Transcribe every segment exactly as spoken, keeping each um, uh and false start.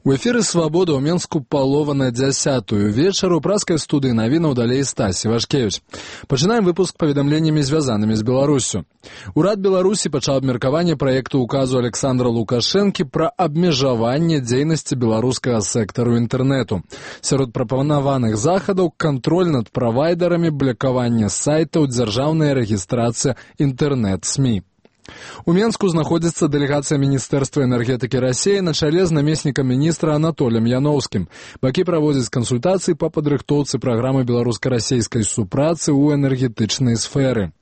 У эфіры «Свабода» ў Менску палова на дзясятую вечару. У праскай студыі навінаў далей Стась Івашкевіч. Пачынаем выпуск паведамленнямі, звязанымі з Беларуссю. Урад Беларусі пачаў абмеркаванне праекту указу Александра Лукашэнкі пра абмежаванне дзейнасці беларускага сектару інтэрнэту. Сярод прапанаваных захадаў кантроль над правайдарамі, блакаванне сайтаў, дзяржаўная рэгістрацыя інтэрнэт-СМІ. У Менску знаходзіцца дэлегацыя Міністэрства энергетыкі Расіі на чале з намеснікам міністра Анатоліем Яноўскім. Бакі праводзяць кансультацыі па падрыхтоўцы праграмы беларуска-расейскай супрацы ў энергетычнай сферы.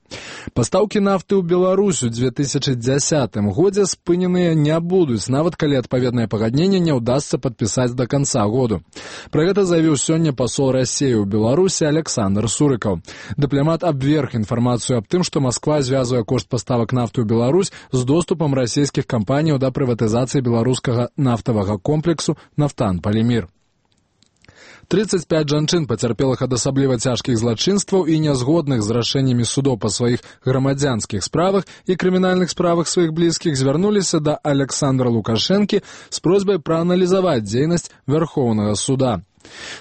Пастаўкі нафты ў Беларусь у две тысячы дзясятым годзе спыненыя не будуць, нават калі адпаведнае пагадненне не ўдасца падпісаць да канца году. Пра гэта заявіў сёння пасол Расіі ў Беларусі Александр Сурыкаў. Дыпламат абверг інфармацыю аб тым, што Масква звязвае кошт паставак нафты ў Беларусь з доступам расійскіх кампаніяў да прыватызацыі беларускага нафтавага комплексу «Нафтан Полимир». трыццаць пяць жанчын, пацярпелых ад асабліва цяжкіх злачынстваў і нязгодных з рашэннямі судоў па сваіх грамадзянскіх справах і крымінальных справах сваіх блізкіх, звярнуліся да Александра Лукашэнкі з просьбай прааналізаваць дзейнасць Вярхоўнага суда.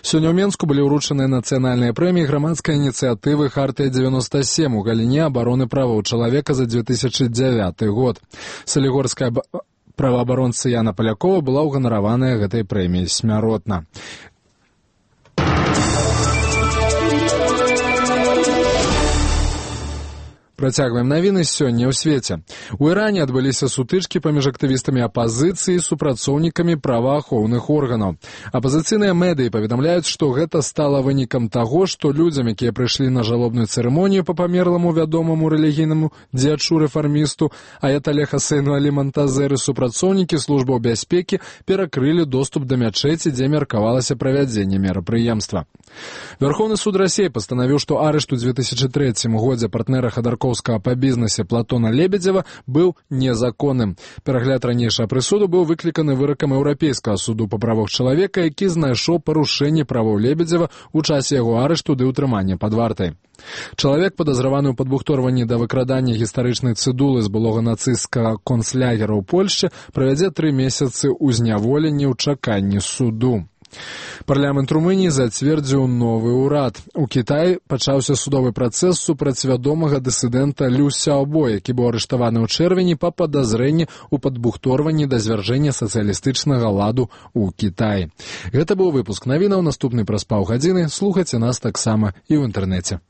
Сёння ў Менску былі ўручаныя нацыянальныя прэміі грамадскай ініцыятывы «Хартыя дзевяноста сем» у галіне абароны правоў чалавека за две тысячы дзявяты год. Салігорская праваабаронца Яна Палякова была ўганараваная гэтай прэміяй смяротна. Працягваем навіны сёння ў свеце. У Іране адбыліся сутычкі паміж актывістамі апазіцыі і супрацоўнікамі праваахоўных органаў. Апазіцыйныя медыі паведамляюць, што гэта стала вынікам таго, што людзям, якія прыйшлі на жалобную цырымонію па памерламу вядомаму рэлігійнаму дзячу-рэфармісту Аятале Хасейну Алі Монтазеры, супрацоўнікі службаў бяспекі перакрылі доступ да мячэці, дзе меркавалася правядзенне мерапрыемства. Вярхоўны суд Расіі пастанавіў, што арышт у две тысячы трэцім годзе партнера Ходорковскага па бізнесе Платона Лебедзева быў незаконным. Перагляд ранейшага прысуду быў выкліканы выракам Еўрапейскага суду па правах чалавека, які знайшоў парушэнне правоў Лебедзева ў часе яго арышту ды ўтрымання пад вартай. Чалавек, падазраваны ў падбухторванні да выкрадання гістарычнай цыдулы з былога нацысцкага концлягера ў Польшчы, правядзе тры месяцы ў зняволенні ў чаканні суду. Парламент Румыніі зацвердзіў новы ўрад. У Кітаі пачаўся судовы працэс супраць вядомага дысідэнта Лю Сяобо, які быў арыштаваны ў чэрвені па падазрэнні ў падбухторванні да звяржэння сацыялістычнага ладу ў Кітаі. Гэта быў выпуск навінаў. Наступны праз паўгадзіны. Слухайце нас таксама і ў інтэрнэце.